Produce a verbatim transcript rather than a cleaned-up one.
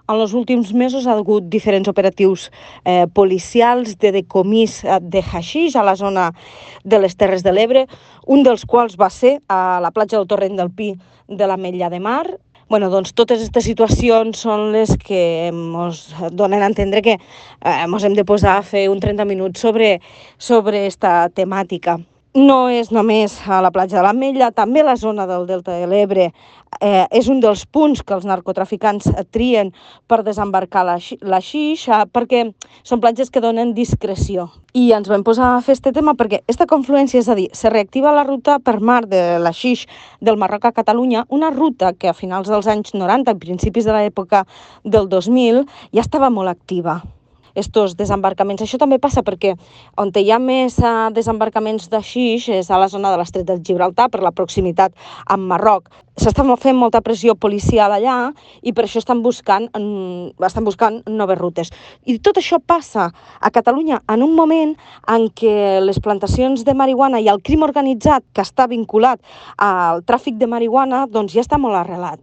En els últims mesos ha hagut diferents operatius eh, policials de decomís de haixix a la zona de les Terres de l'Ebre, un dels quals va ser a la platja del Torrent del Pi de l'Ametlla de Mar. Bueno, doncs totes aquestes situacions són les que ens donen a entendre que ens eh, hem de posar a fer un trenta minuts sobre, sobre esta temàtica. No és només a la platja de l'Ametlla, també la zona del Delta de l'Ebre eh, és un dels punts que els narcotraficants trien per desembarcar la, la xixa, perquè són platges que donen discreció. I ens vam posar a fer aquest tema perquè aquesta confluència, és a dir, se reactiva la ruta per mar de la xix del Marroc a Catalunya, una ruta que a finals dels anys noranta, a principis de l'època del dos mil, ja estava molt activa. Estos desembarcaments. Això també passa perquè on hi ha més uh, desembarcaments de xix és a la zona de l'Estret del Gibraltar, per la proximitat amb Marroc. S'està fent molta pressió policial allà i per això estan buscant, estan buscant noves rutes. I tot això passa a Catalunya en un moment en què les plantacions de marihuana i el crim organitzat que està vinculat al tràfic de marihuana doncs ja està molt arrelat.